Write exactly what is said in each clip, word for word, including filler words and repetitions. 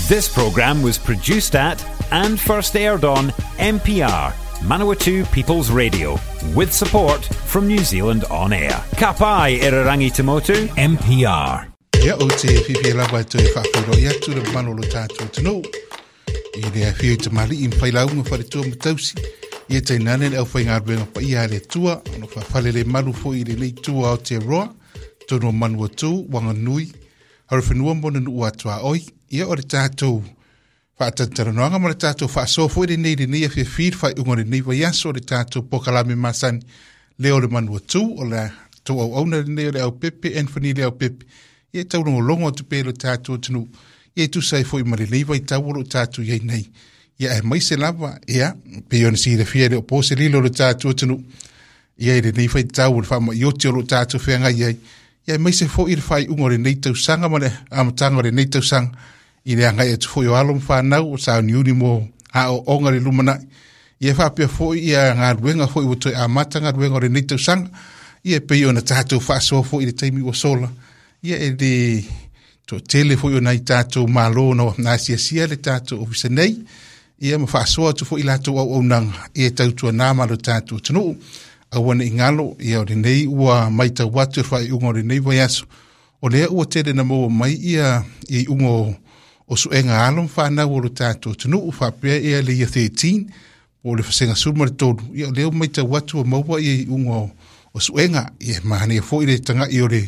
This programme was produced at and first aired on M P R, Manawatu People's Radio, with support from New Zealand On Air. Ka pai, Irarangi Tamotu, M P R. Ia o te whiwhi lava e toe whaafuro i atu le mano lo tātou tunu. I le awhio i te mali i mwhai launga whare tua matausi. I e tainane le au whai ngā ruenga pa ia le tua. Ono whawhale le malu fo i le nei tua o te roa. Tono manua tū, wanga nui. Haru whenua mona nuu atua oi. Ia o le tātou whaatantaranoanga ma le tātou whaasofo i le nei le nei a whiwhir whai unga le nei vaiaso o le tātou pokalame masani. Leo le manua tū o le tau au auna le nei o le au pepe, Anthony le au pepe. Ia tau longo atu pe lo tātou tunu. Ia tu sai foi ma le nei vai tau o lo tātou iai nei. Ia e mai se lava, ia, pe ona si le fia le o pose lilo lo tātou tunu. Ia i le nei vai tau o le whaama i oti o lo tātou whenga iai. Ia e mai se foi le whai ungo le nei tausaga ma le amatanga o le nei tausaga. I le angai atu foi o alo mwhanau o sa ni mo a o onga le lumanai. Ia whapea foi ia ngā ruenga foi o toi amata ngā ruenga o le nei tausaga. Ia pe ona tātou whaasoa foi i le taimi o sola. Ia e le to tele foi o nei tātou malo no nā siasia le tātou ofisa nei. Ia ma whaasoa atu foi i lātou au aunanga. Ia tautua nā malo tātou tunu. Awana i ngalo, ia o le nei ua mai tau atu whai unga o le nei vaiaso. O lea ua tele na maua mai ia i unga o, o suenga alo mwhanau o lo tātou tunu. Whapea ia le ia thirteen, o le whasenga suma le tolu. Ia o lea mai tau atu o maua ia i unga o, o suenga. Ia mahania foi le tanga i o le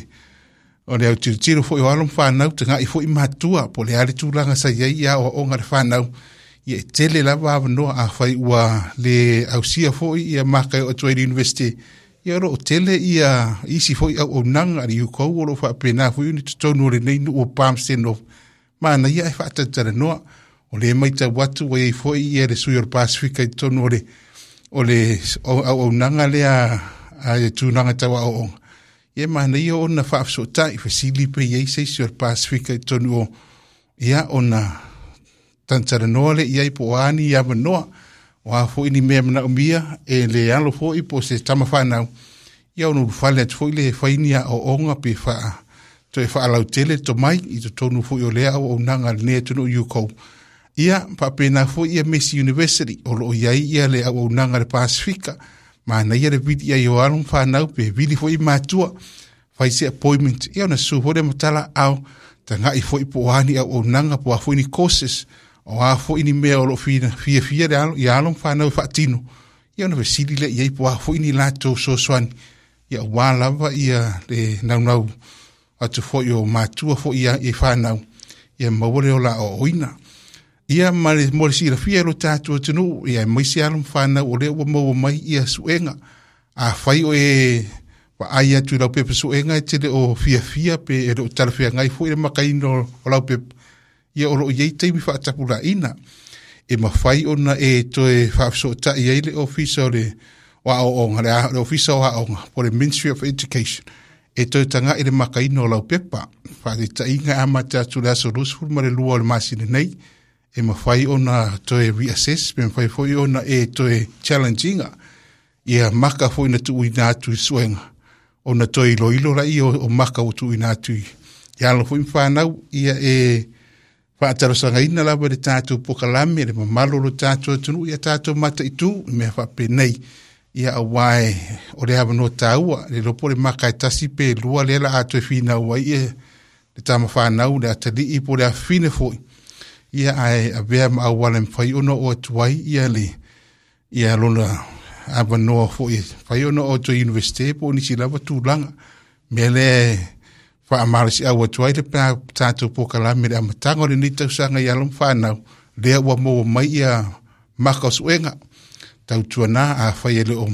o le au tiro foi o alo mwhanau, tanga i foi matua, po le ale tūlanga sa iai ia o onga le whanau. Ia e tele lava awanoa a whai ua le ausia foi ia makai o atuai university. Ia ro o tele ia isi foi au o nanga ari ukou o lo whaapena foi uni tutonu o le nei nu o Palmerston North. Mana ia e whaatatara noa o le mai tau atu o iei foi ia le sui o le Pasifika i tonu o le o le au au nanga lea a e tūnanga tau au onga. Ia mana ia ona whaafsotai whasili pe iei seisi o le Pasifika i tonu o ia ona tantara noa le iai po ani ia manoa o a foi ni mea mana umia e le alo foi po se tama whanau ia ono whale atu foi le whainia o onga pe wha toe whaalau tele to mai i to tonu foi o lea au nanga le nea tunu yukou. Ia papena foi ia Messi University o lo iai ia le au nanga le Pasifika mana ia le vidi ia o alo whanau pe vidi foi matua whai se appointment ia ona su foi le matala au tanga i foi po ani au o nanga po a foi ni courses o a foi ni mea o lo fia fia fia le alo ia alo whanau whaatino. Ia ona vesili le iai po a foi ni lātou sosoani. Ia wā lava ia le naunau atu foi o matua foi ia i whanau. Ia mawale o la o oina. Ia ma le mo le sirafia lo tātou tunu. Ia maisi alo whanau o lea ua maua mai ia suenga. A whai o e wa ai atu lau pepa suenga e tele o fia fia pe e lo talawhia ngai foi le makaino o lau pepa. Ia o lo iei teimi whaatapura ina. E mawhai ona e toe whaafsotai ai le ofisa o le o le, le ofisa o aonga, po le Ministry of Education. E toe tanga i le makaino o lau pepa. Whaatitainga ama te atu le aso lusu ma le lua o le masina nei. E mawhai ona toe reassess, pe mawhai foi ona e toe challengeinga. Ia maka foi na tuuina atu i suenga. Ona toe iloilo la i o, o maka o tuuina atu i. Ia alo foi mwhanau, ia e whaatarosanga lava le tātou pokalame, le mamalo lo tātou atunu, ia tātou mata i tū, i mea whapenei. Ia a wae o le hawa no tāua, le lopo le maka e tasi pe lua le la atu e whina ua ia, le tama whanau, le atali i po le awhine foi. Ia ae a vea ma awale mwhai ono o atuai, ia le, ia lona awa noa foi, whai ono o toi universite po nisi lava tūlanga. Mea le whaamarasi au atuai le pā tātou pokalame le amatanga o le nei tausaga i alo whanau. Lea ua maua mai ia maka o suenga. Tautua nā a whai e le o,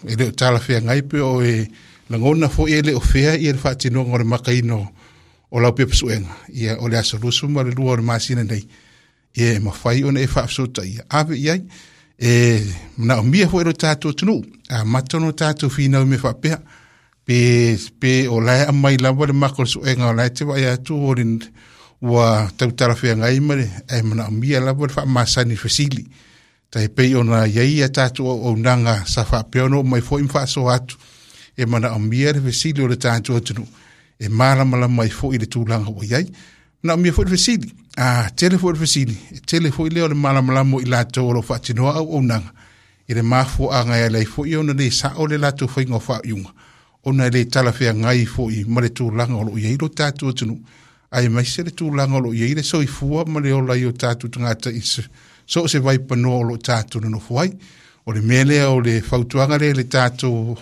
e le o talawhea ngai pe o e langona foi e le o fea ia le whaatinoga o le makaino o lau pepa suenga. Ia o le aso lusu ma le lua o le masina nei. Ia e mawhai ona e whaafsota ia. Ave iai e mana o mia foi lo tātou tunu. A matono tātou whinau me whapea. Pe, pe o lae amai lava le maka o suenga o lae te wai atu o le ua tautalawhea ngai ma le e mana o mia lava le whaamasani whasili. Tai pei ona iai a tātou au nanga sa whapea ono mai foi mwhaaso atu. E mana o mia le whasili o le tātou atunu. E mālamalama mai foi le tūlanga o iai. Manaomia foi le fesili, a tele foi le fesili, e tele foi lea o le malamalama o i latou o lo o faatinoa auaunaga i le mafuaaga e ala ai foi ona le sao le latou faiga o faaiuga, ona e le talafeagai foi ma le tulaga o lo o i ai lo tatou atunuu, aemaise le tulaga o lo o i ai le soifua ma le ola i o tatou tagata i so o se vaipanoa o lo o tatou nonofo ai. O le mea lea o le fautuaga lea i le tatou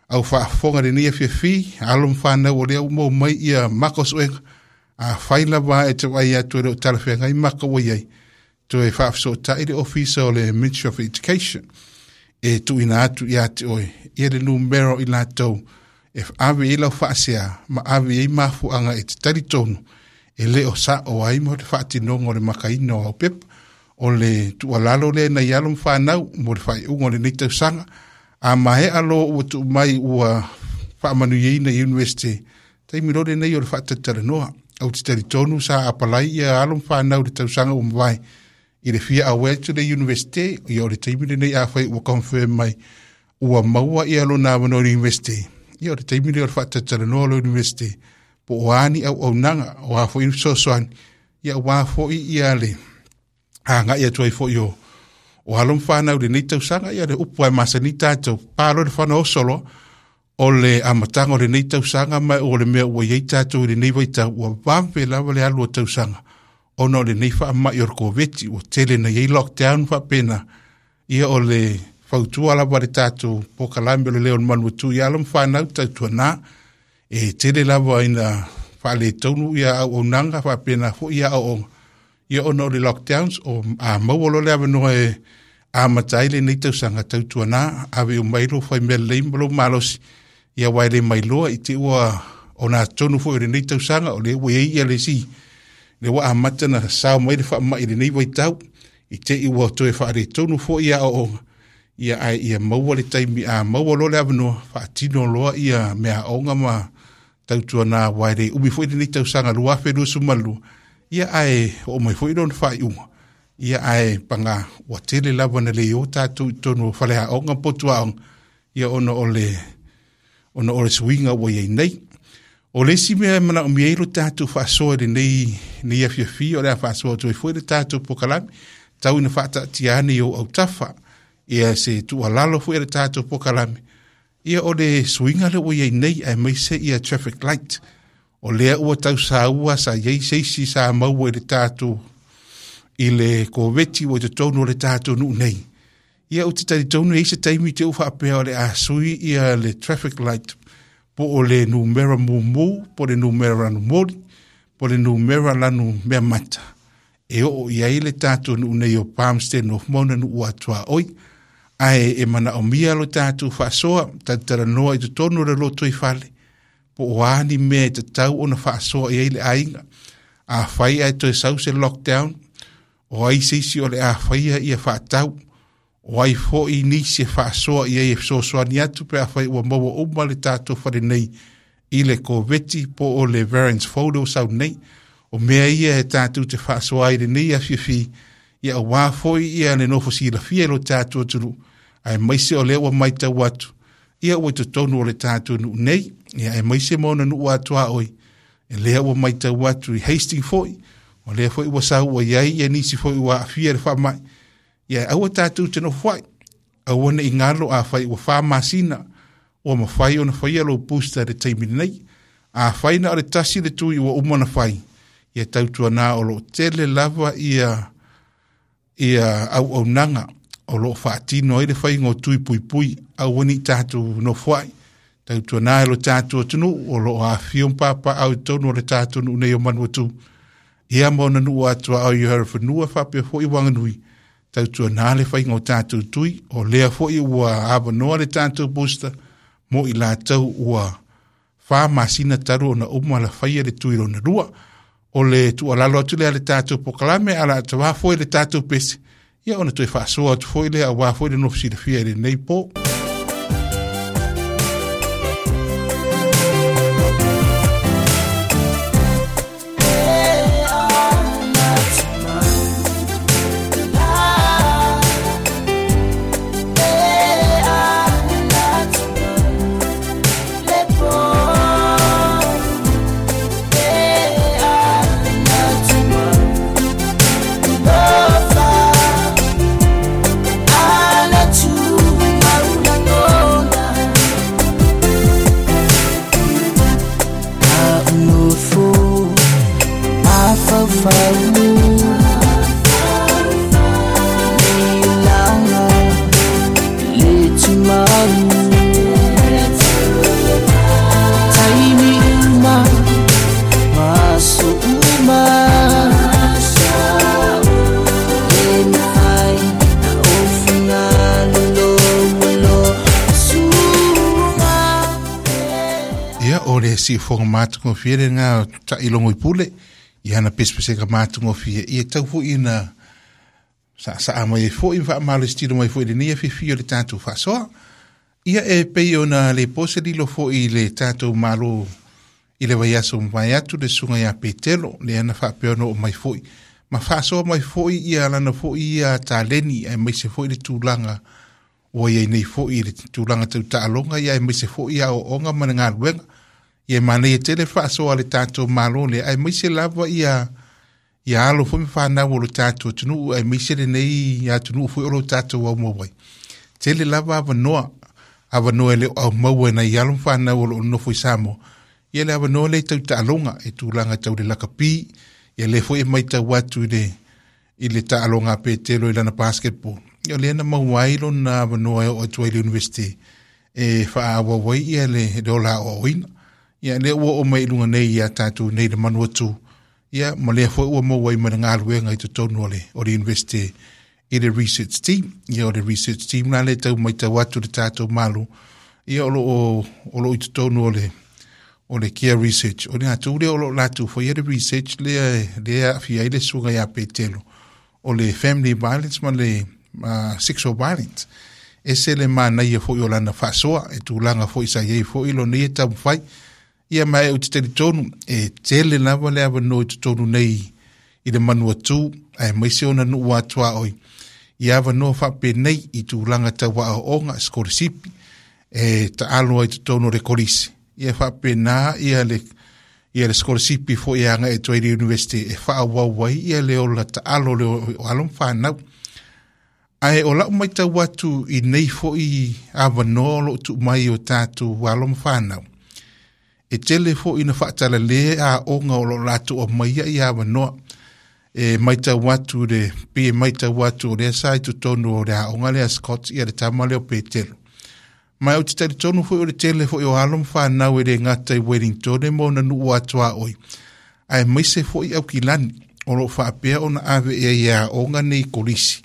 au faafofoga lenei afiafi, alo ma fanau o lea ua maua mai ia maka o suega, afai lava e te vaai atu e le o talafeagai maka ua i ai, toe faafesootai le ofisa o le Ministry of Education e tuuina atu ia te oe ia le numera o i latou e ave i ai lau faasea ma ave i ai mafuaaga e te talitonu e le o sao ai mo le faatinoga o le makaina o au pepa. O le tuualalo lea nai alo ma fanau mo le faaiuga o lenei tausaga, a maea loa ua tuu mai ua faamanuiaina i University, taimi loa lenei o le faatalatalanoa. Ou te talitonu sa apalai ia alo ma fanau i le tausaga ua mavae i le fia auai atu le University, ia o le taimi lenei afai ua confirm mai ua maua ia lona avanoa i le University, ia o le taimi lea o le faatalatalanoa o le University, po o a ni auaunaga, o a foi ni fesoasoani, ia aua foi ia le agai atu ai foi o o alo ma fanau i lenei tausaga. Ia le upu lava e masani tatou, pa loa le fana oso loa o le amataga o lenei tausaga, ma o le mea ua i ai tatou i lenei vaitau, ua vave lava le alu o tausaga ona o lenei faamai o le Koveti, ua tele na i ai lockdown faapena. Ia o le fautua lava le tatou polokalame o le Leo o le Manuvatu i alo ma fanau tautuana, e tele lava ina faaletonu ia auaunaga faapena foi ia aoaoga, ia ona o le lockdowns, o a maua loa le avanoa e amata ai lenei tausaga, tautuana ave uma ai lou faimea lelei ma lou malosi, ia aua e le mailoa i te ua ona atonu foi o lenei tausaga o lea ua i ai ia le isi le ua amata na sao mai le faamai i lenei vaitau, i te i ua toe faaletonu foi ia aoaoga, ia ae ia maua le taimi, a maua loa le avanoa, faatino loa ia meaaoga ma tautuana, aua e le umi foi lenei tausaga lua afe luasefulu ma lua, ia ae oo mai foi lona faaiuga, ia ae paga ua tele lava na le o tatou i totonu o faleaoga ma potuaoga, ia ona o le ona o le suiga ua i ai nei. O le isi mea e manaomia ai lo tatou faasoa i lenei nei afiafi, o le a faasoa atu ai foi le tatou polokalame, tau ina faataatia ane i ou autafa ia se tuualalo foi a le tatou polokalame, ia o le suiga lea ua i ai nei, aemaise ia traffic light. O lea ua tausaua sa i ai se isi sa maua i le tatou i le Koveti ua i totonu o le tatou nuu nei. Ia ou te talitonu e i ai se taimi te u faapea o le a sui ia le traffic light, po o le numera mumu, po o le numera lanu moli, po o le numera lanu mea mata, e oo i ai le tatou nuu nei o Palmston North Mona nuu atuaoi. Ae e manaomia lo tatou faasoa, talatalanoa i totonu o le lotoifale, po o a ni mea e tatau ona faasoa i ai le aiga. Afai ae toe sau se lockdown, o ai se isi o le a faia ia faatau, o ai foi nisi e faasoa i ai e fesoasoani atu pe afai ua maua uma le tatou fale nei i le Koveti po o le variants folder o sau nei. O mea ia e tatou te faasoa ai lenei afiafi, ia aua foi ia le nofo silafia i lo tatou atunuu, aemaise o lea ua matau atu, ia ua i totonu o le tatou nuu nei, ia aemaise ma ona nuu atuaoi, e lea ua matau atu i Hastings foi, o lea foi ua sau ua i ai ia nisi foi ua aafia i le faamai. Ia aua tatou te nofo ai, aua ne i galo afai ua fa masina ua mafai ona faia lou booster i le taimi lenei. Afai na o le tasi le tui ua uma ona fai, ia tautuana o lo o tele lava ia ia auaunaga o lo o faatino ai le faiga o tui puipui, aua ne i tatou nofo ai. Tautuana e lo tatou atunuu o lo o afifio ma papaaao i totonu o le tatou nuu nei o Manuatu, ia ma ona nuu atuaao i Horowhenua faapea foi Wanganui, tautuana le faiga o tatou tui, o lea foi ua avanoa le tatou booster mo i latou ua fa masina talu ona uma la faia le tui lona lua. O le tuualalo atu lea le tatou polokalame, a o le a tavā foi le tatou pese, ia ona toe faasoa atu foi lea aua foi le nofo silafia i lenei po. siufoga matagofie lena taʻilogo i pule ia na pesepesega matagofie ia tau foʻi na saʻasaʻa mai ai foʻi ma faamalositino mai foʻi lenei afiafi o le tatou faasoa. Ia e pei ona le pose lilo foʻi i le tatou malo i le vaiaso mavae atu le susuga iā Petelo lea na faapea ona oo mai foʻi ma faasoa mai foʻi ia lana foʻi ia taleni aemaise foʻi le tulaga ua iai nei foʻi i le tulaga tautaaloga ia aemaise foʻi aoaoga ma le galuega. Ia e manaia tele faasoa a le tatou malo lea aemaise lava ia ia alo foi ma fanau o lo tatou atunuu aemaise lenei atunuu foi o lo tatou aumau ai. Tele lava avanoa, avanoa e le o aumaua e nai alo ma fanau o lo o nofo i Samoa. Ia le avanoa lea i tautaaloga e tulaga tau le lakapi, ia lea foi e matau atu i le i le taaloga a Petelo i lana basketball. Ia o lea na maua ai lona avanoa e oo atu ai i le university e faaauau ai ia le, le ola aoaoina. Ia lea ua oo mai i luga nei ia tatou nei le Manuatu, ia ma lea foi ua maua ai ma le galuega i totonu o le, o le university i le research team. Ia o le research team la le tau matau atu le tatou malo, ia o lo o, o lo o i totonu o le o le Care Research. O le latou lea o lo o latou faia le research lea lea aafia ai le susuga iā Petelo, o le family violence ma le uh, sexual violence. Ese le manaia foi o lana faasoa e tulaga foi sa iai foi lona ia taumafai. Ia ma e ou te talitonu e tele lava le avanoa i totonu nei i le Manuatu aemaise ona nuu atuaoi i avanoa faapenei i tulaga tau aoaoga sikolasipi e taalo ai totonu o le kolisi. Ia faapena ia le ia le sikolasipi foi e agai atu ai i le university e faaauau ai ia le ola taalo le o alo ma fanau. Ae o lau matau atu i nei foi avanoa o loo tuu mai o tatou alo ma fanau, e tele foi ina faatalale aoga o loo latou aumaia ia avanoa. E matau atu le pei e matau atu o lea sa i totonu o le aoga lea Scott ia le tama lea o Petelo. Ma ou te talitonu foi o le tele foi o alo ma fanau e le gata i Wellington ma ona nuu atuaoi, aemaise foi Aukilani o loo faapea ona ave i ai e aoga nei kolisi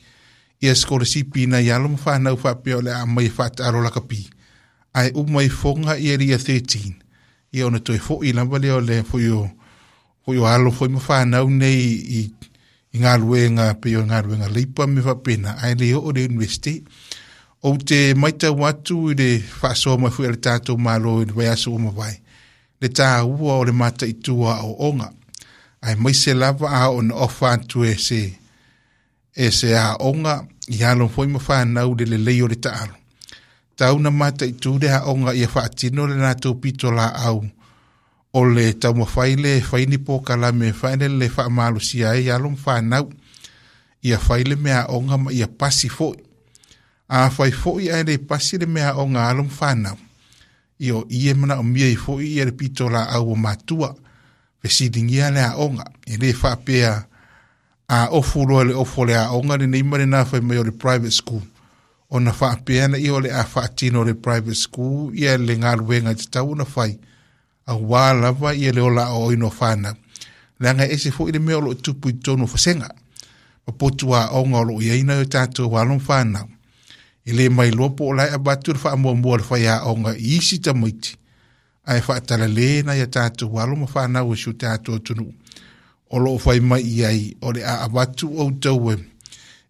ia sikolasipi nai alo ma fanau faapea o le a aumai e faataalo lakapi, ae uma ifoga ia le Year thirteen ia ona toe foʻi lava lea o le foi o foi o alo foi ma fanau nei i i galuega pei o galuega leipa me faapena ae le oo i le university. Ou te matau atu i le faasoa mai foi a le tatou malo i le vaiaso ua mavae, le taua o le mataitu o aoaoga, aemaise lava a oo ina ofa atu e se e se aoga i alo foi ma fanau le lelei o le taalo. Tau na mataitu le aoga ia faatino le latou pitolaau o le taumafai le fai ni polokalame faelele faamalosia ai alo ma fanau ia fai le meaaoga ma ia pasi foi. A fai foi ae le pasi le meaaoga a alo ma fanau, ia o i e manaomia ai foi ia le pitolaau o matua fesiligia le aoga. E le faapea a ofu loa le ofu o le aoga lenei ma lena fai mai o le private school, ona faapea na ia o le a faatino le private school ia le galuega e tatau ona fai auā lava ia le ola aoaoina o fanau. Leaga e ese foi le mea o loo tupu i totonu o fasega ma potu aoga o loo iai nai o tatou alo ma fanau. E le mailoa po o la e avatu le faamuamua a le faiaoga i isi tamaiti ae faatalale nai a tatou alo ma fanau o si o tatou atunuu o loo fai mai i ai o le a avatu outou e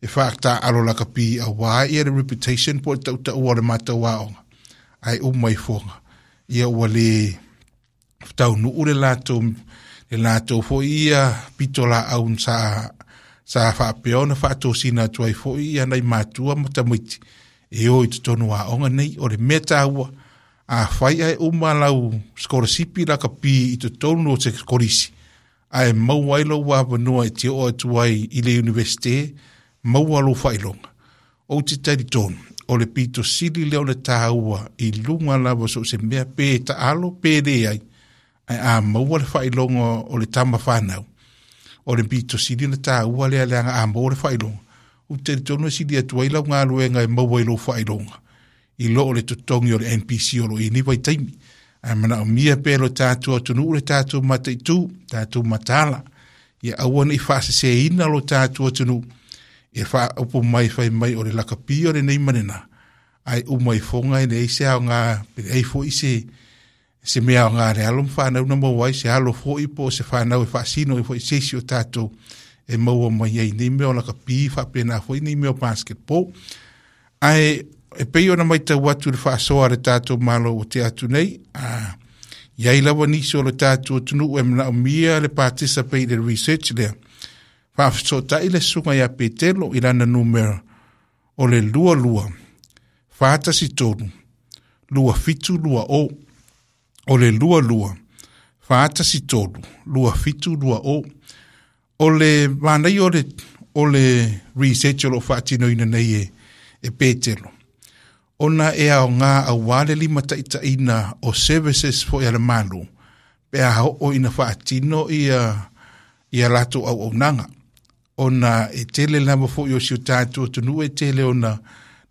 e faataalo lakapi auā ia le reputation po o le tautaua o le matou aoga ae uma ifoga ia ua le taunuu le latou le latou foi ia pitolaau sa sa faapea ona faatosina atu ai foi ia nai matua ma tamaiti e o i totonu o aoga nei. O le mea taua, afai ae uma lau sikolasipi lakapi i totonu o se kolisi ae maua ai lou avanoa e te oo atu ai i le universite, maua lou faailoga. Ou te talitonu o le pito sili lea o le taua i luga lava so o se mea pe taalo pe leai, ae a maua le faailoga o le tama fanau, o le pito sili ona taua lea leaga a maua le faailoga, ou te talitonu e sili atu ai lau galuega e maua i lou faailoga i lo o le totogi o le N P C o lo o i nei vaitaimi. Ae manaomia pea lo tatou atunuu le tatou mataitu, tatou mataala, ia aua nei faaseseina lo tatou atunuu e faaopo mai fai mai o le lakapi o lenei ma lena, ae uma ifoga e leai se aoga pe leai foi se Se mea o ngā le alo mwhanau na maua ai, se alo foi po se whanau e whaasino e foi sesi o tātou e maua mai ai nei mea o laka pi whapena foi nei mea o basketball. Ae e pei ona mai tau atu le whaasoa le tātou malo o te atu nei, a iai lawa nisi o le tātou tunu e mana o mia le participate le research lea. Whaafesotai le sunga ia Petelo i lana numera o le lua lua, whaatasi tonu, lua fitu lua o, o le lua lua, whaatasi tonu, lua fitu lua o, o le mānai o le, o le research o lo whaatino ina nei e, e Petelo. Ona e ao ngā awale lima taitaina o services fo ia le malu, pe a o ina whaatino ia, ia lato au au nanga. Ona e tele lava fo i o si o tātou tunu e tele ona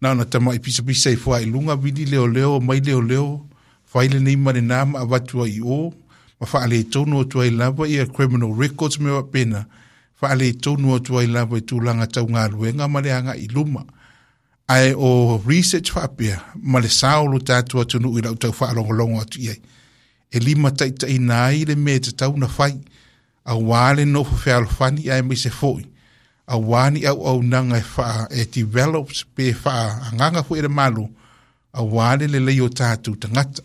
na ona tama i pisa pisa i fua i lunga vili leo leo mai leo leo whaile nei mare nama a watua i o ma whaale tonu o tuai lava ia criminal records me wapena whaale tonu o tuai lava i tūlanga tau ngā luenga ma le anga i luma. Ae o research whaapea ma le saolo tātou atunu i lau tau whaalongolongo atu iai. E lima taitai nai le me te tau na whai a wale no whawhealofani ae mai se foi. A wani au au nanga e wha e develops pe wha anganga fo e le malu a wale le lei o tātou tangata.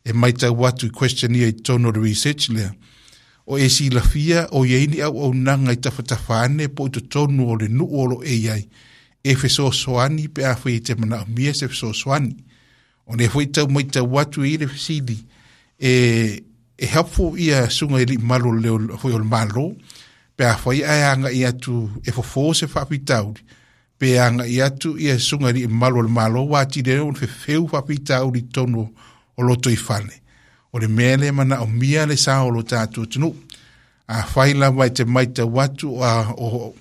E mai tau atu i questionnaire i tono le research lea. O e si lafia o ieini au au nanga i tawhatawhane po i to tonu o le nuu o lo e iai. E fesoasoani pe a whai te mana o mia se fesoasoani. O ne fwoi tau mai tau atu i le fesili e, e helpful ia sunga i li malu leo fwoi o le malo pe a whai ai anga i atu e fofo se whapitauri pe anga i atu ia sunga i li malu o le malo wā tire o whewheu whapitauri tono o loto i whale. O le mea le mana o mia le sa o lo tātou tunu. A whai lawa i te mai tau atu a, o,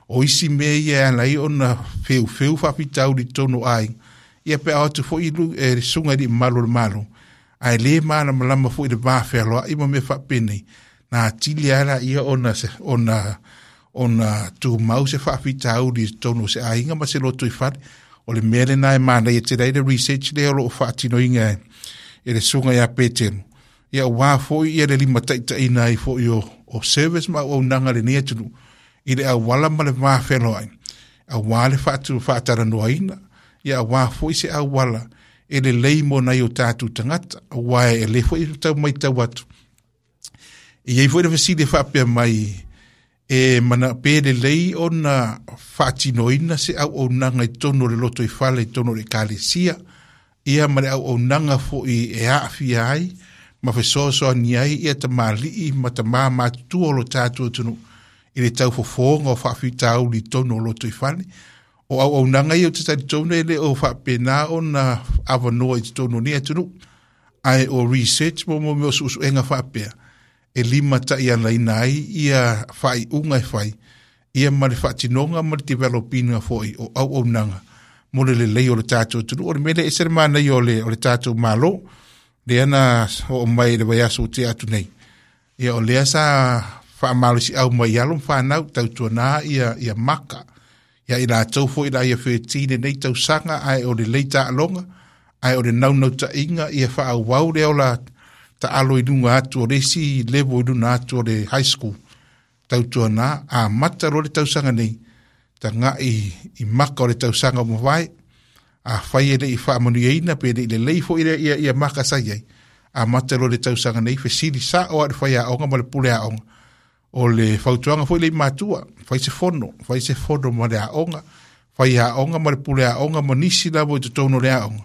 o isi mea ia ala i ona whewheu whapitauri tono ai. Ia pe a atu fo ilu e sunga i li malu o le malo. Ai le mana malama fo i le wāwhealoa i ma me whapene. Nā tili ala ia ona, se, ona, ona tūmau se whawhitauri tono se ainga ma se loto i whare. O le mea le nai mana i te reira research lea o lo o whaatino inga e, e le sunga ia Petero. Ia wā fo ia le lima taitaina i fo i o, o service ma o nanga le nia tunu. I le awala ma le wāwhealoa ai. A wā le whaatu whaataranoa ina. Ia wā fo i se awala e le leimo nei o tātou tangata. A wā e le fo i tau mai tau atu. E iei foi le fesili whaapea mai e mana pe le lei ona whaatinoina se au au nanga i tono le loto i whale i tono le kalesia ia ma le au au nanga fo i e aafia ai ma fesoasoani ai ia ta malii ma ta māmātua o lo tātou tunu i le tau fofonga o whaafitauli tono o loto i whale. O au au nanga ia o te tari tono e le o whaapena ona awanoa i te tono ni atunu ai o research mo mo meo suusuenga whaapea e lima tai ana ina ai ia whai unga e whai ia ma le whaatinonga ma le developinga foi o au au nanga mo le lelei o le tātou tunu. O le mele e se mana i o le, o le tātou malo le ana o mai le vaiaso o te atu nei. Ia o lea sa whaamalosi au mai alo whanau tautuana ia, ia maka. Ia i lātou foi la ia whetine nei tausanga ai o le leita alonga ai o le naunau tainga ia whaawau leo la ta alo i lunga atu o resi levo i luna atu o le high school. Tautuana a mata ro le tausanga nei ta ngā i, i maka o le tausanga o mawai a whai ele i whaamanu pe le lei fo i ia, ia maka sai ai. A mata ro le tausanga nei fesili sa o a le whai a onga ma le pule a onga. O le whautuanga fo i le matua, whai se fono, whai se fono ma le a onga, whai a onga ma le pule a onga ma nisi lavo i te tono le a onga.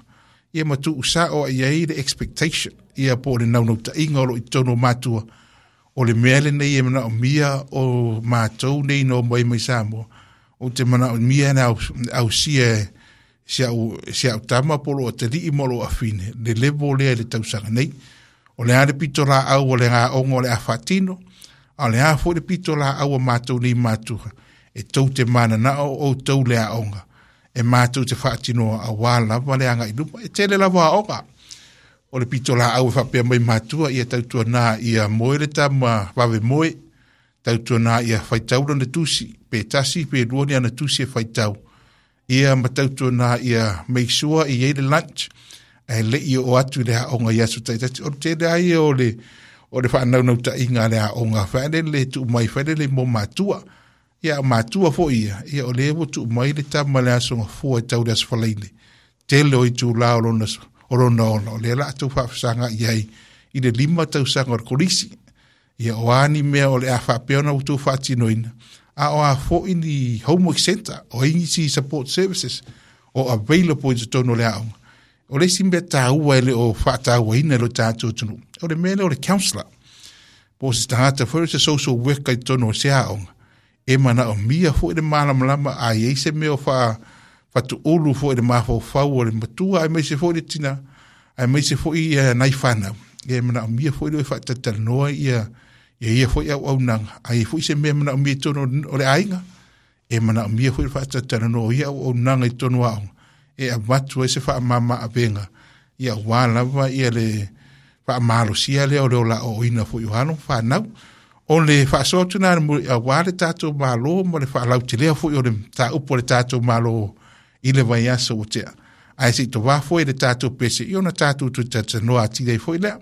Ia matu usa o ia i le expectation, ia po le naunau tainga o lo i tono matua. O le mea le nei e mana o mia o mātou nei no mai mai Samoa. O te mana o mia na au, au sia, sia au, sia au tama polo o te lii molo a whine. Le levo lea le tausanga nei. O le ane pito la au o le ngā ongo o le awhatino. A le a fo le pito la au o mātou nei mātua. E tau te mana na o o tau le a onga. E mātou te whaatino a wā lava le anga i luma. E tele lava a onga. O le pito la au e whapea mai mātua ia tautua nā ia moe le tama wawe moe. Tautua nā ia whaitaura na tusi. Pe tasi, pe rua ni ana tusi e whaitau. Ia ma tautua nā ia make sure i eile lunch. Ae le'i oo atu i le aoga i aso ta'itasi. O le tele a ia o le o le fa'anaunautā'iga a le aoga fa'alele tu'u mai fa'alele mo matua. Ia matua fo'i ia, ia o lea ua tu'u mai le tama le aso gafua e tau le aso falaine. Tele o itulā o lona o lona ola, o lea la tou fa'afesaga'i ai i le lima tausaga o le kolisi. Ia o a ni mea o le a fa'apea ona outou fa'atinoina, a o a fo'i ni homework center, o ai nisi support services o available i totonu o le aoga. O le isi mea tāua e le o fa'atāuaina e lo tatou atunuu, o le mea lea o le counselor. Po o se tagata foi o se social worker i totonu o se aoga, e mana'omia fo'i le malamalama a iai se mea o fa fatu'ulu fo'i le mafaufau o le matua aemaise fo'i le tina aemaise fo'i ia nai fanau. Ia e mana'omia fo'i le fa'atalatalanoa ia ia ia fo'i auaunaga ai fo'i se mea mana'omia i totonu o le aiga e mana'omia fo'i le fa'atalatalanoa ia auaunaga i totonu o aoga e avatu ai se fa'amāmā avega ia auā lava ia le fa'amalosia lea o le ola'o'oina fo'i o alo fanau. O le fa'asoa atu na auā le tatou Mālō ma le fa'alautelea fo'i o le tāupu o le tatou Mālō i le vaiaso ua te'a. Ae se'i tovā foi le tatou pese i ona tatou toe talatalanoa atili ai foi lea.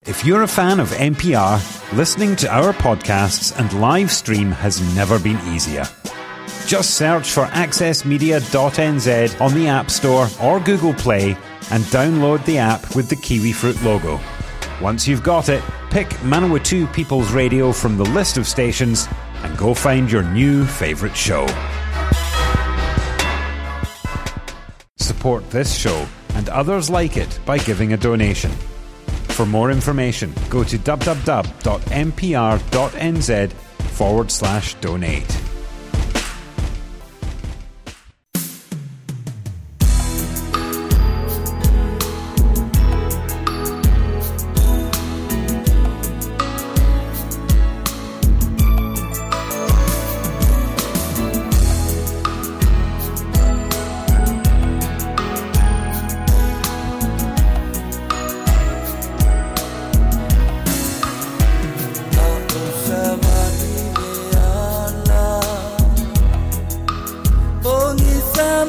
If you're a fan of N P R, listening to our podcasts and live stream has never been easier. Just search for access media dot n z on the App Store or Google Play and download the app with the Kiwi Fruit logo. Once you've got it, pick Manawatu People's Radio from the list of stations and go find your new favourite show. Support this show and others like it by giving a donation. For more information, go to www.npr.nz forward slash donate.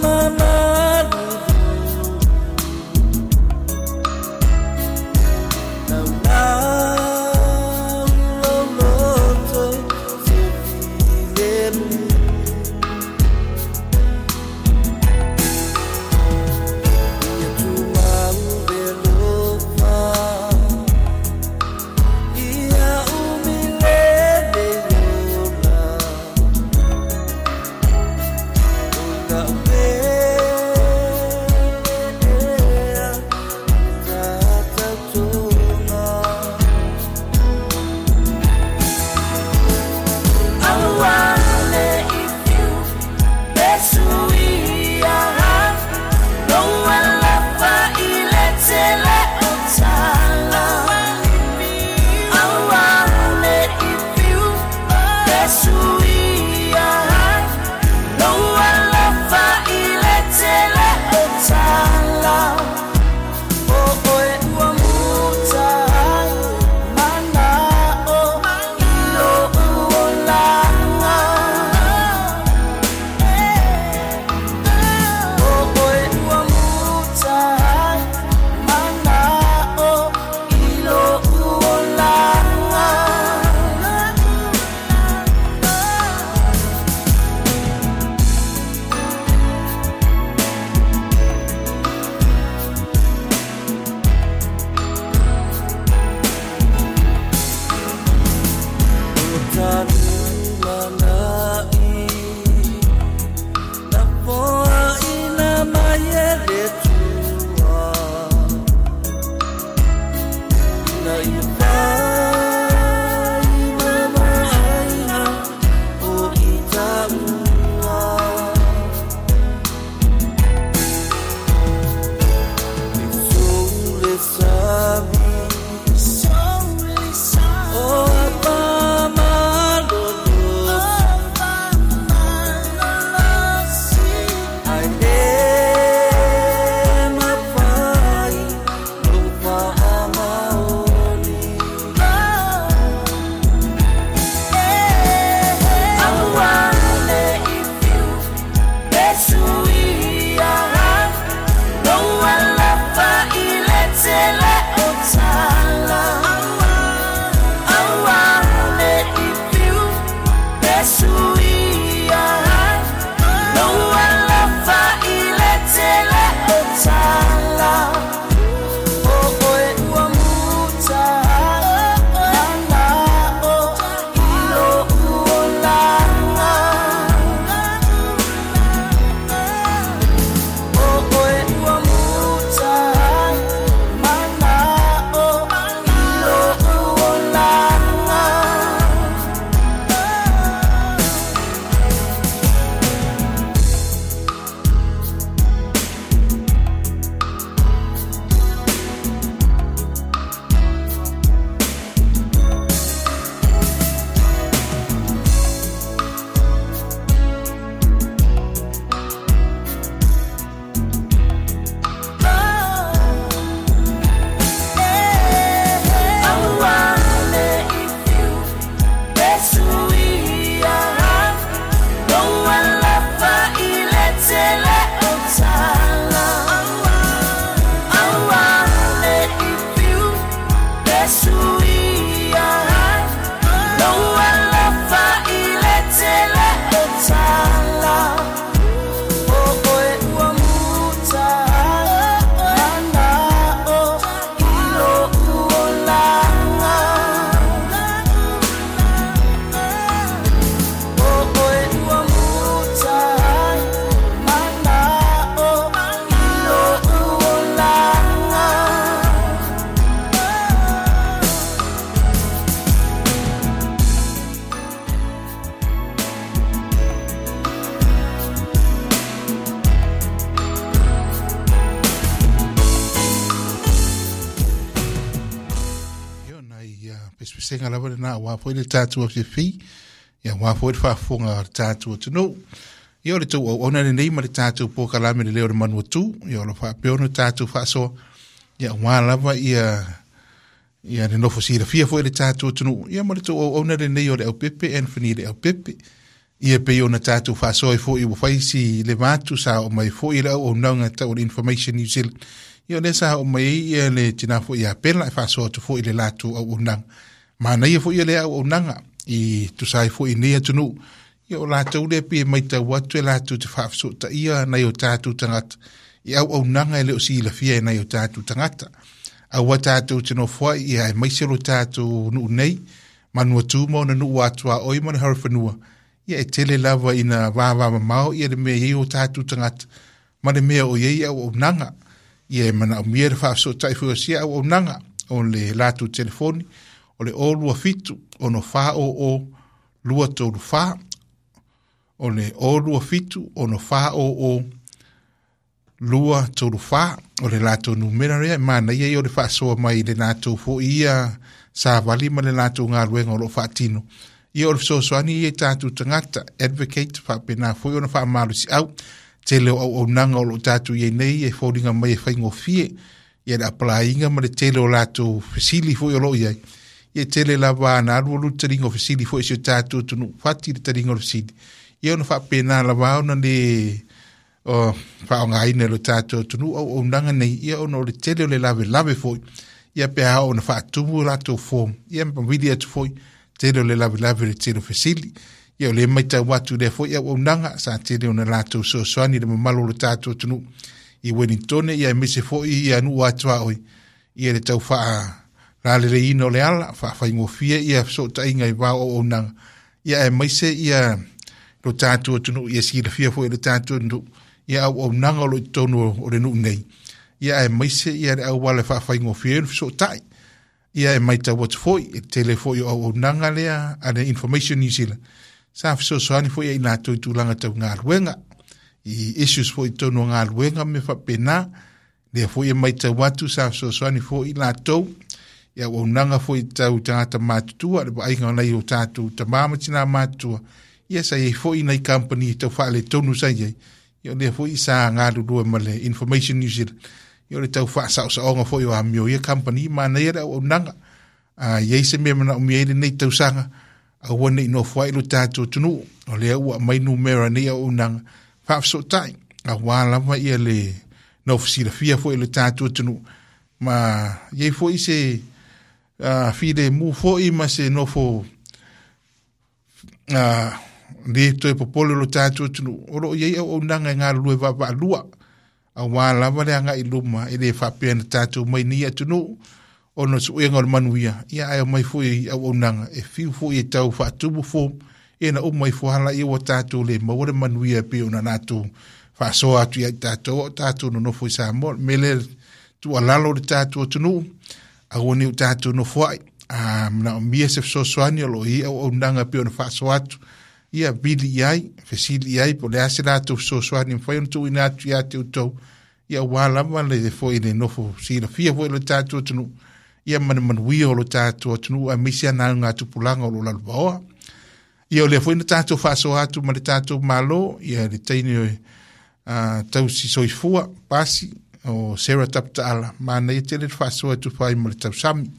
My Pesepesega lava lena aua foi le tatou afiafi, ia aua foi le faafofoga a le tatou atunuu. Ia o le tou auauna lenei ma le tatou polokalame le Leo o le Manua Tu, ia o lo o faapea ona tatou faasoa, ia aua lava ia ia le nofo silafia foi le tatou atunuu, ia ma le tou auauna lenei o le Aupepe Anthony le Aupepe. Ia pei ona tatou faasoa ai foi ua fai si le vatu sa oo mai foi le auaunaga tau o le Information New Zealand. Ia o lea sa oo mai ai ia le tina foi ia Pela e faasoa atu foi i le latou auaunaga. Manaia foi ia le auaunaga i tusa ai foi i nei atunuu. Ia o latou lea pei e matau atu e latou te faafesootaia nai o tatou tagata i auaunaga e le o silafia e nai o tatou tagata. Aua tatou te nofoai ia aemaise lo tatou nuu nei, Manua Tu ma ona nuu atuaoi ma le Horowhenua. Ia e tele lava ina vavamamao ia le mea e i ai o tatou tagata ma le mea o i ai auaunaga. Ia e manaomia le faafesootai foi o sia auaunaga o le latou telefoni o le o lua fitu ono fa o o lua tolu fa, o le o lua fitu ono fa o o lua tolu fa o le latou numera lea. E manaia ia o le faasoa mai i le latou foi ia savali ma le latou galuega o lo o faatino. Ia o le fesoasoani ia i tatou tagata advocate faapena foi ona faamalosiau tele o auaunaga o lo o tatou i ai nei e foliga mai e faigofie ia le apalaiga ma le tele o latou fesili foi o lo o i ai. Ia tele lava na alu alu le taliga o fesili foi i si o tatou atunuu, fati le taliga o le fesili. Ia ona faapena lava ona le o faaaogaina e lo tatou atunuu auaunaga nei, ia ona o le tele o le lavelave foi. Ia pe a oo ona faatumu latou form, ia ma vili atu foi tele o le lavelave le tele o fesili. Ia o lea matau atu lea foi auaunaga sa tele ona latou fesoasoani i le mamalu o lo tatou atunuu i Wellington, ia aemaise foi ia nuu atuaoi, ia le tau faalaleleiina o le ala, faafaigofie ia fesootaiga i va o auaunaga, ia aemaise ia lo tatou atunuu ia silafia foi e le tatou atunuu ia auaunaga o lo o i totonu o le nuu nei, ia aemaise ia le auala e faafaigofie ai ona fesootai. Ia e matau atu foi, e tele foi o auaunaga lea a le Information New Zealand sa fesoasoani foi ia i latou i tulaga tau galuega, i issues foi i totonu o galuega ma mea faapena. Lea foi e matau atu sa fesoasoani foi i latou i auaunaga foi tau tagata matutua, le vaaiga o nai o tatou tama ma tina matutua. Ia sa i ai foi nai kamupani tau faaletonu sa i ai. Ia o lea foi sa galulue ma le Information New Zealand. Ia o le tau faasaosaoga foi o amio ia kamupani, manaia le auaunaga. A i ai se mea manaomia ai lenei tausaga, aua ne i nofoai lo tatou atunuu. O lea ua aumai numera nei auaunaga faafesootai, aua lava ia le nofo silafia foi e le tatou atunuu. Ma i ai foi se uh, filemu foi ma se nofo uh, le toe popole lo tatou atunuu. O lo o i ai auaunaga e galulue vaavaalua, aua lava le agai i luma e le faapea na tatou mai nei atunuu ona o suega o le manuia, ia ae omai foi i auaunaga e fiu foi e tau faatumu form, ia na uma ifo lava laia ua tatou le maua le manuia e pei ona latou faasoa atu ia i tatou o tatou nonofo i Samoa. O le mea lea tuualalo i le tatou atunuu, aua ne i o tatou nofoai. A manaomia se fesoasoani o lo o i ai auaunaga e pei ona faasoa atu, ia vili i ai, fesili i ai po o le a se latou fesoasoani e mafai ona tuuina atu ia te outou, ia aua lava le foi le nofo silafia foi o le tatou atunuu, ia ma le manuia o lo tatou atunuu aemaise ana augatupulaga o lo o lalovaoa. Ia o lea foi na tatou faasoa atu ma le tatou Malo, ia le teine uh, tausi soifua, pasi, o Sarah Taputaala, manaia tele le faasoa e tufa ai ma le tausami.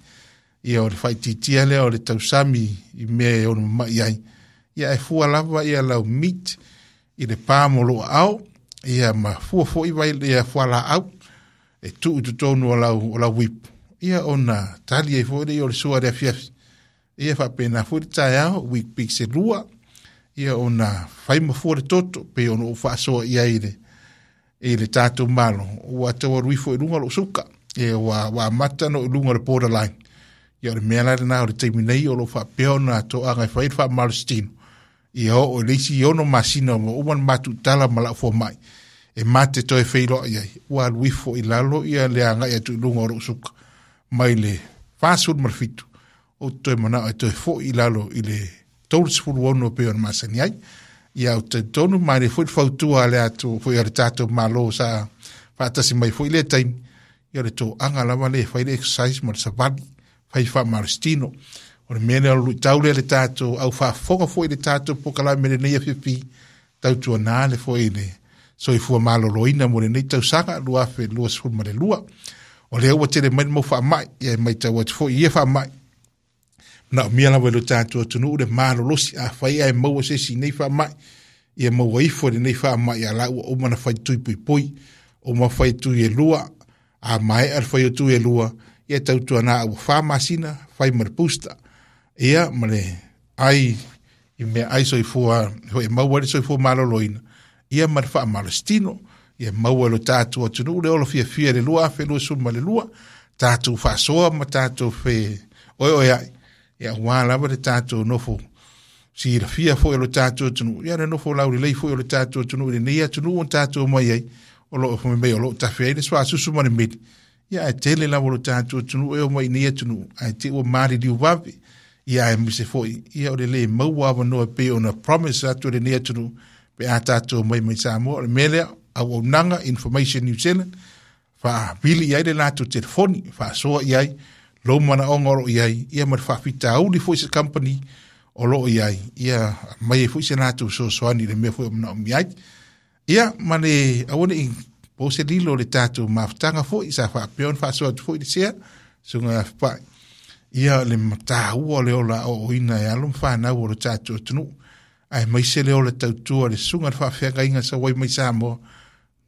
Ia o le faaitiitia lea o le tausami i mea e ono mamai ai. Ia e fua lava ia lau meat i le pa mo lou aao, ia ma fua foi vai ia fualaau e tuu i totonu o lau, o lau ipu. Ia ona tali ai foi lea o le sua i le afiafi. Ia faapena foi le taeao, Weet-Bix e lua, ia ona fai ma fua le toto, pei ona ou faasoa i ai i le, i le tatou Malo, ua tau alu ifo i luga lou suka, ia ua, ua amata ona oo i luga o le borderline. Ia o le mea la lena o le taimi nei o lo o faapea ona toaga e fai le faamalositino, ia oo i le isi ono masina ua uma ona matuutala ma lau fomai, e mate toe feiloai ai, ua alu ifo i lalo ia le agai atu i luga o lou suka, mai le fasefulu ma le fitu, ou te toe manao e toe foi i lalo i le tolu ono e pei ona masani ai. Ia ou te talitonu manaia foi le fautua a le atu foi a le tatou Malo sa faatasi mai foi i lea taimi, ia o le toaga lava lea e fai le exercise ma le savali. fai faamalositino. O le mea lea o le luitau lea i le tatou au faafofoga foi i le tatou polokalame lenei afiafi tautuana le foi le soifua maloloina mo lenei tausaga lua afe luasefulu ma le lua. O lea ua tele mai le mau faamai, ia e matau atu foi i ia faamai, manaomia lava i lo tatou atunuu le malolosi afai ae maua se isi i nei faamai, ia maua ifo i lenei faamai a la ua uma ona fai tui puipui, uma fai tui e lua, a maea le fai o tui e lua, ia tautuana ua fa masina fai ma le booster, ia ma le ai i mea ai soifua foi e maua ai le soifua maloloina, ia ma le faamalositino, ia maua e lo tatou atunuu le ola fiafia i le lua afe luasefulu ma le lua, tatou faasoa ma tatou fe oeoe ai, ia aua lava le tatou nofo silafia foi o lo tatou atunuu, ia le nofo laulelei foi o le tatou atunuu i lenei atunuu o tatou mai ai, o lo o mai o lo o tafe ai le suasusu ma le meli, ia ae tele lava o lo tatou atunuu e o mai i nei atunuu, ae te ua maliliu vave, ia aemaise foi, ia o le le maua avanoa e pei ona promise atu e lenei atunuu, pe a tatou mai mai Samoa. O le mea lea, auaunaga Information New Zealand, faavili i ai le latou telefoni, faasoa i ai lou manaoga o lo o i ai, ia ma le faafitauli foi se company o lo o i ai, ia aumai ai foi se latou fesoasoani i le mea foi o manaomia ai. Ia ma le aua ne i po se lilo o le tatou mafutaga foi, sa faapea ona faasoa atu foi le sea, susuga ia Fepai, ia le mataua o le ola aoaoina e alo ma fanau o le tatou atunuu, aemaise le ola tautua le susuga i le faafeagaiga sau ai mai Samoa,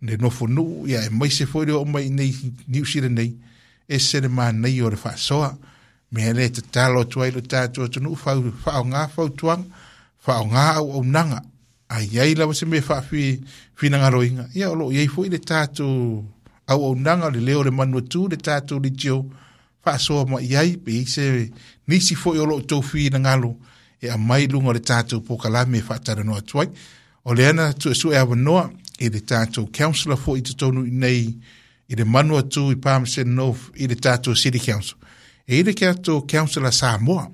le nofonuu, ia aemaise foi le oo mai nei Niu Sila nei, ese le manaia o le faasoa. Mea lea e tatalo atu ai lo tatou atunuu, fau, faaaoga fautuaga, faaaoga auaunaga, a i ai lava se mea faafinagaloina, ia o lo o i ai foi le tatou auaunaga, le leo o le Manuatū, le tatou leitio, faasoa mai i ai, pe i ai se nisi foi o lo o outou finagalo e aumai i luga o le tatou polokalame e faatalanoa atu ai. O lea na suesue avanoa i le tatou councillor foi i totonu i nei i le Manuatū i Palmerston North i le tatou City Council. E i le tatou councillor Samoa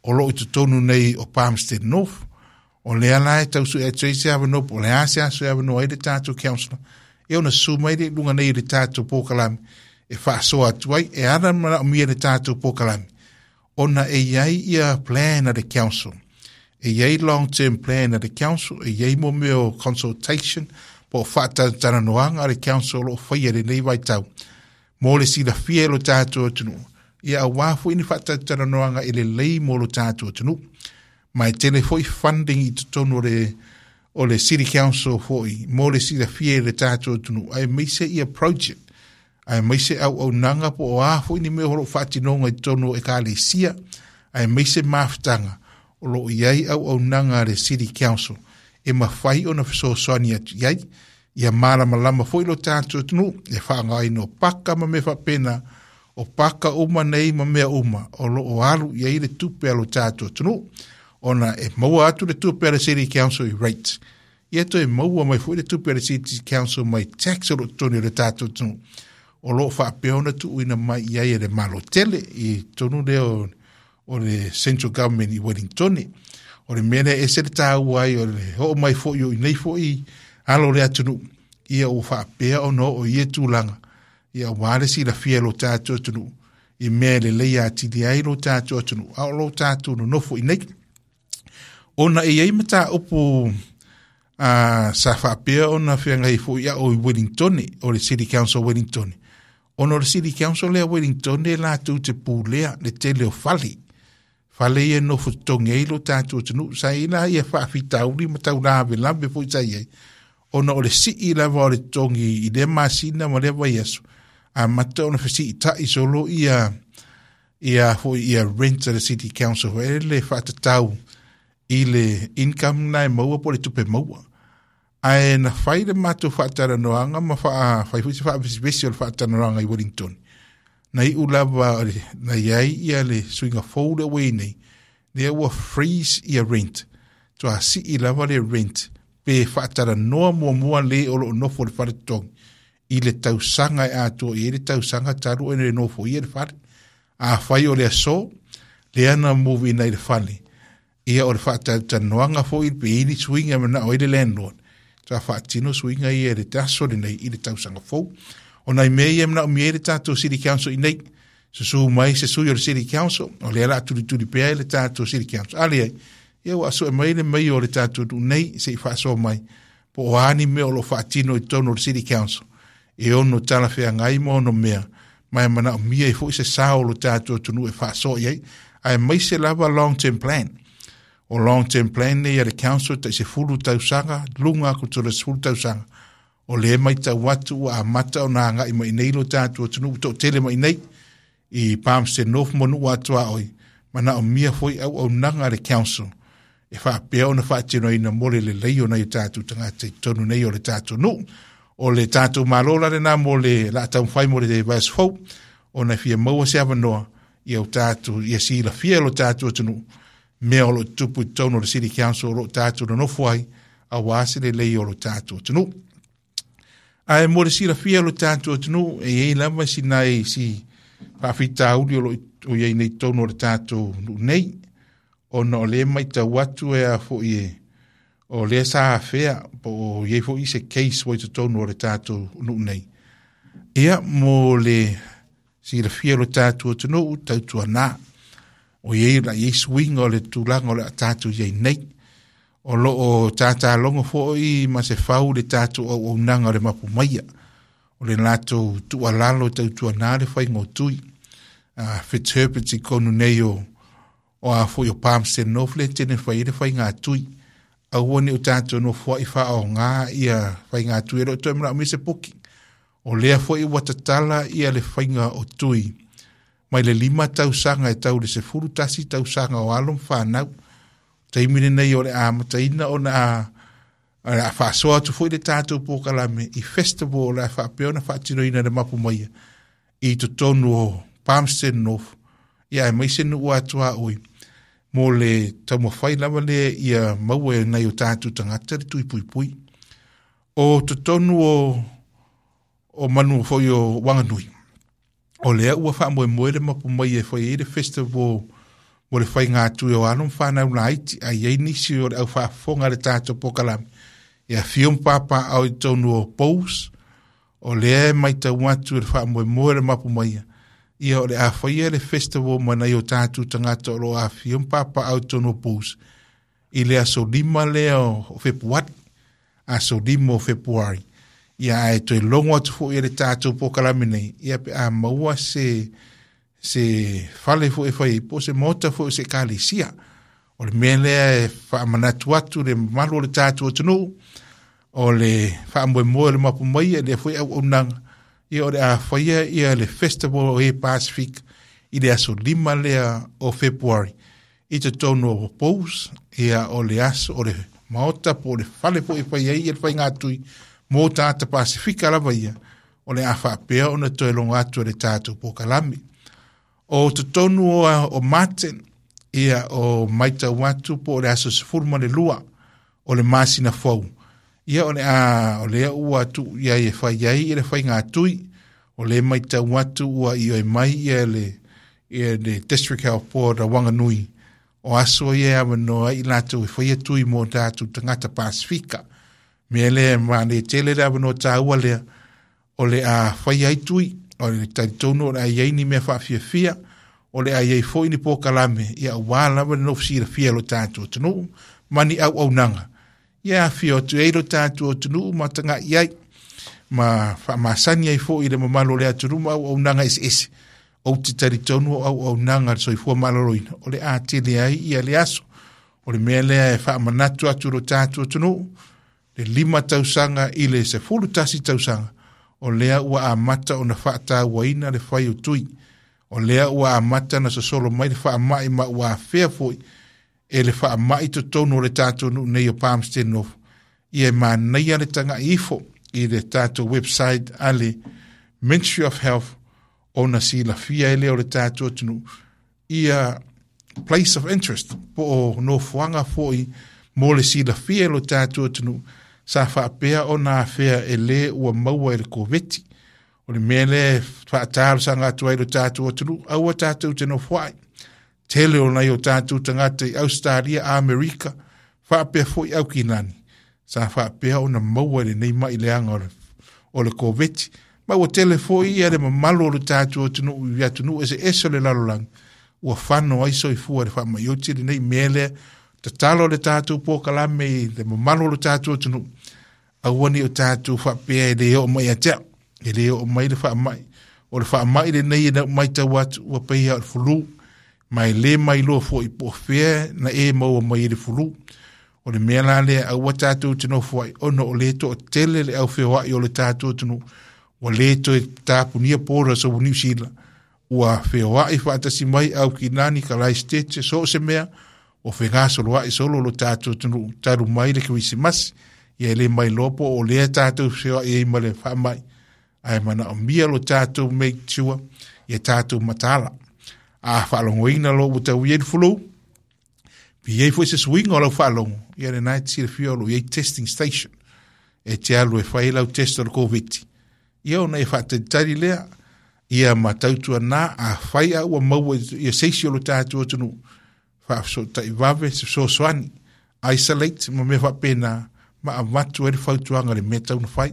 o lo o i totonu nei o Palmerston North. O lea la e tau sue atu ai se avanoa, po o le a se aso e avanoa ai le tatou councillor, e ona susu mai le i luga nei i le tatou polokalame e faasoa atu ai, e ala manaomia le tatou polokalame, ona e i ai ia plan a le council, e i ai long term plan a le council, e i ai mo mea o consultation, po o faatalatalanoaga a le council o lo o faia i lenei vaitau, mo le silafia e lo tatou atunuu, ia aua foi ni faatalatalanoaga e lelei mo lo tatou atunuu. Ma e tele foi funding i totonu o le, o le City Council foi, mo le silafia e le tatou atunuu, aemaise ia project, aemaise auaunaga po o a foi ni mea o lo o faatinoga i totonu o ekalesia, aemaise mafutaga o lo o i ai auaunaga a le City Council e mafai ona fesoasoani atu i ai, ia malamalama foi lo tatou atunuu e faaaogaina o paka ma mea faapena, o paka uma nei ma mea uma o lo o alu i ai le tupe a lo tatou atunuu, ona e maua atu le tupe a le City Council i rates, ia toe maua mai foi le tupe a le City Council mai tax o lo o totonu o le tatou atunuu, o lo o faapea ona tuuina mai i ai e le Malo tele i totonu lea o, o le Central Government i Wellington. O le mea lea e ese le taua ai o le oo mai foi o i nei foi alo o le atunuu, ia ua faapea ona oo i ia tulaga, ia aua le silafia e lo tatou atunuu, i mea e lelei atili ai lo tatou atunuu, a o lo tatou nonofo i nei. Ona e i ai mataupu a, sa faapea ona feagai foi au i Wellington, o le City Council o Wellington, ona o le City Council lea o Wellington e latou te pulea le tele o fale. Fale ia e nofo totogi ai lo tatou atunuu. Sa i ai la ia faafitauli ma tau lavelave foi sa i ai, ona o le sii lava o le totogi i lea masina ma lea vaiaso, amata ona fesiitai solo ia, ia foi ia rent a le City Council foi le faatatau i le income na e maua po o le tupe maua. Ae na fai le matou faatalanoaga ma faa, fai foi se faavesivesi o le faatalanoaga i Wellington. Na iu lava na i ai ia le suiga fou lea ua i ai nei, lea ua freeze ia rent. Toa sii lava le rent pe faatalanoa muamua le o lo o nofo i le fale totogi i le tausaga e atoa i ai le tausaga talu ona e nofo ia le fale. Afai o le aso, lea na move ina i le fale, ia o le faatalatalanoaga foi pe i ai ni suiga e manao ai le landlord, sa faatino suiga ia i le aso lenei i le tausaga fou. O nai mea ia e manaomia ai le tatou City Council i nei, Susu mai se sui o le City Council, o lea la tulituli pea i le tātou City Council. A leai, ia ua sue mai le mai o le tātou nuu nei se i faasoa mai, po o a ni mea o lo o faatino i totonu o le City Council, e ono talafeagai ma ono mea, ma e manaomia ai foi se sao o lo tātou atunuu e faasoa i ai, aemaise lava long term plan. O long term plan nei a le council tai sefulu tausaga, luga atu i le sefulu tausaga. O lea matau atu ua amata ona agai mai nei lo tātou atunuu toatele mai nei, i Palmerston North ma nuu atuaoi, manaomia foi auaunaga a le council, e faapea ona faatinoina mo le lelei o nai o tātou tagata i totonu nei o le tātou nuu. O le tātou malo la lena mo le la taumafai mo le vaiaso fou, ona e fia maua se avanoa ia o tātou, ia silafia e lo tātou atunuu, mea o lo o tutupu i totonu o le City Council o lo o tātou nonofo ai, auā se lelei o lo tātou atunuu. Ae mo le silafia e lo tātou atunuu, e i ai lava sinai si faafitauli o lo o i ai nei i totonu o le tātou nuu nei, ona o lea matau atu e a foi e, o lea sa afea, po o i ai foi se case ua i totonu o le tātou nuu nei. Ia, mo le silafia e lo tātou atunuu, tautuana, o i ai la i ai suiga o le tulaga o le a tātou i ai nei. O lo o tātālogo foi ma se fau le tātou auaunaga o le mapu maia. O le latou tuualalo tautuana le faiga o tui. Uh, Fitzherbert i konu nei o, o a foi o Palmerston North le tene fai le faiga tui. Aua ne i o tātou nofoa'i faaogā ia faiga tui e le o toe manaomia se puki. O lea foi ua tatala ia le faiga o tui. Mai le lima tausaga e tau le sefulu tasi tausaga o alo ma whanau. Taimi lenei o le amataina ona a o le a faasoa atu foi le tātou polokalame i festival o le a faapea ona faatinoina le mapu maia i totonu o Palmerston North, ia aemaise nuu atuaoi mo le taumafai lava lea ia maua e nai o tātou tagata le tui puipui. O totonu o o manu foi o Wanganui, o lea ua faamoemoe le mapu mai e fai ai le festival mo le faiga tui o alo ma whanau laiti, a i ai nisi o le au faafofoga le tātou polokalame. E afio ma papaaao i totonu o Bulls, o lea e matau atu le faamoemoe le mapu maia, ia o le a faia le festival ma nai o tātou tagata o lo o afifio ma papaaao i totonu o Bulls, i le aso lima lea o Fepuari, aso lima o Fepuari. Ia ae toe logo atu foi e le tātou polokalame nei, ia pe a maua se se fale foi e fai ai, po o se maota foi o se ekalesia. O le mea lea e faamanatu atu le mamalu o le tātou atunuu, o le faamoemoe o le mapu maia, lea foi auaunaga, ia o le a faia ia le festival o e Pasifika i le aso lima lea o Fepuari i totonu o Bulls, ia o le aso o le maota po o le fale foi e fai ai ia le faiga tui mo tagata Pasifika lava ia, o le a faapea ona toe logo atu e le tātou polokalame. O totonu o, o Martin, ia o matau atu po o le aso sefulu ma le lua o le masina fou. Ia o le a, o lea ua tuu i ai e fai ai ia le faiga tui, o le matau atu ua ioe mai ia le, ia le District Health Board a Wanganui, o aso ia e avanoa ai i latou e faia tui mo tātou tagata Pasifika. Mea lea e manaia tele le avanoa tāua lea, o le a fai ai tui, o le talitonu o le a i ai ni mea faafiafia, o le a i ai foi ni polokalame, ia auā lava le nofo silafia e lo tātou atunuu, ma ni auaunaga. Ia afifio atu ai lo tātou atunuu ma taga'i ai, ma faamasani ai foi i le mamalu o le atunuu ma auaunaga eseese. Ou te talitonu o auaunaga a le soifua maloloina, o le a tele ai ia le aso. O le mea lea e faamanatu atu lo tātou atunuu, le lima tausaga i le sefulu tasi tausaga, o lea ua amata ona faatauaina le fai o tui. O lea ua amata ona sosolo mai le faamai ma ua afea foi e le faamai totonu o le tātou nuu nei o Palmerston North. Ia e manaia le taga'i ifo i le tātou website a le Ministry of Health ona silafia ai lea o le tātou atunuu ia place of interest po o nofoaga foi mo le silafia e lo tātou atunuu sa faapea ona afea e lē ua maua e le Koveti. O le mea lea e faatalosaga atu ai lo tātou atunuu, aua tātou te nofoa'i. Tele o nai o tātou tagata i Australia, Amerika, faapea foi Aukilani, sa faapea ona maua e lenei ma'i leaga o le, o le Koveti, Ma ua tele fo'i ia le mamalu o le tatou atunuu i atunuu eseese o le lalolagi ua fano ai soifua i le faama'i lenei mea lea. Tatalo le tatou polokalame i le mamalu o le tatou atunuu, aua ne i o tatou faapea e le oo mai ia te au, e le oo mai le faama'i. O le faama'i lenei e matau atu ua pei lava o le fulu, ma e le mailoa foi po o fea na e maua mai ai le fulu. O le mea la lea aua tatou te nofo ai, ona o lea toatele le aufeoai o le tatou atunuu, ua le toe tapunia borders o Niu Sila, ua feoai faatasi mai Aukilani, Kalaisitete, so o se mea, o fegasoloai solo lo tatou atunuu talu mai le Kerisimasi. Ia e le mailoa po o lea tatou feoai ai ma le faamai, ae manaomia lo tatou make sure ia tatou mataala. A faalogoina lo ua tau i ai le fulu, pe i ai foi se suiga o lau faalogo, ia lena e te silafia o lo o i ai testing station, e te alu e fai lau test o le Koviti. Ia ona e faatalitali lea, ia ma tautuana a fai a ua maua ia seisi o lo tatou atunuu, faafesootai vave se fesoasoani, isolate ma mea faapena, ma avatu ai le fautuaga le mea tau na fai.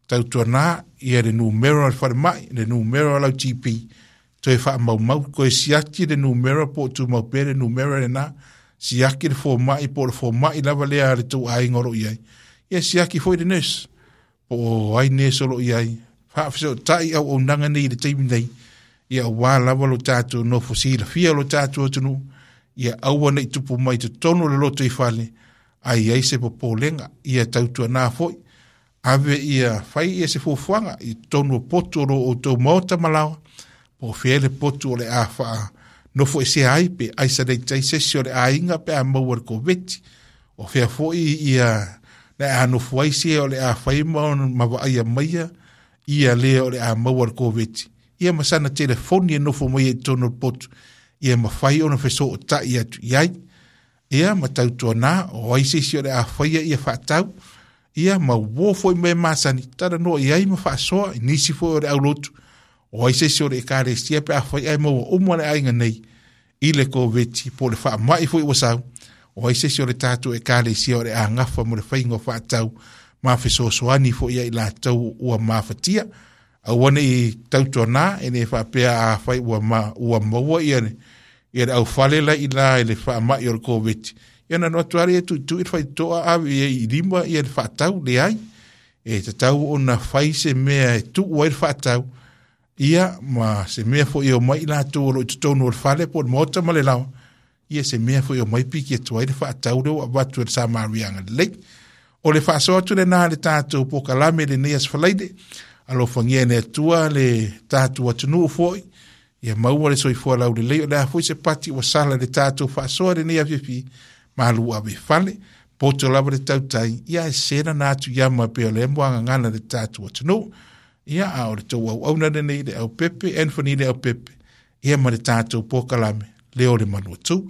Tautuana ia le numera o le falemai, le numera o lau G P, toe faamaumau, toe siaki le numera po o tumau pea le numera lena, siaki le fomai po o le fomai lava lea a le tou aiga o lo o i ai. Ia siaki foi le nurse, po o ai nurse o lo o i ai. Faafesootai auaunaga nei i le taimi nei, ia aua lava lo tatou nofo silafia lo tatou atunuu, ia aua ne i tupu mai totonu o le lotoifale, ai i ai se popolega. Ia tautuana foi, ave ia fai ia se fuafuaga i totonu o potu o lo outou maota ma laoa, po o fea le potu o le a faa nofo esea ai pe isolate ai se isi o le aiga pe a maua le Koviti. O fea foi ia le a nofo ai se o le a fai ma ma vaaia maia ia lea o le a maua le Koviti. Ia ma sana telefoni e nofo mai i totonu o le potu, ia mafai ona fesootai atu i ai. Ia ma tautuana o ai se isi o le a faia ia faatau, ia ma uo foi mea masani, talanoa i ai ma faasoa i nisi foi o le aulotu, o ai se isi o le ekalesia pe a fai ai maua uma le aiga nei i le Koviti po o le faamai foi ua sau, o ai se isi o le tatou ekalesia o le a gafa mo le faiga o faatau ma fesoasoani foi ia i latou ua mafatia. Aua ne i tautuana e le faapea a fai ua ma, ua maua ia le, ia le aufale la i la i le faamai o le Koviti. Ia na noatu ari e tuitui le faitotoa ave ia i lima ia le faatau leai. E tatau ona fai se mea e tuu ai le faatau, ia ma se mea foi o mai i latou o lo o i totonu o le fale po o le maota ma le laoa, ia se mea foi o mai piki atu ai le faatau lea ua avatu e le Samariaga lelei. O le faasoa atu lena le tatou polokalame lenei aso Falaide, alofagia e le Atua le tatou atunuu foi, ia maua le soifua laulelei. O le a foi se pati ua sala le tatou faasoa lenei afiafi, malu ave fale, poto lava le tautai, ia e sena na atu ia ma pe o le muagagana le tatou atunuu. Ia a o le tou auauna lenei le Aupepe, Anthony le Aupepe, ia ma le tatou polokalame, Leo o le Manuatu.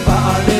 Vale,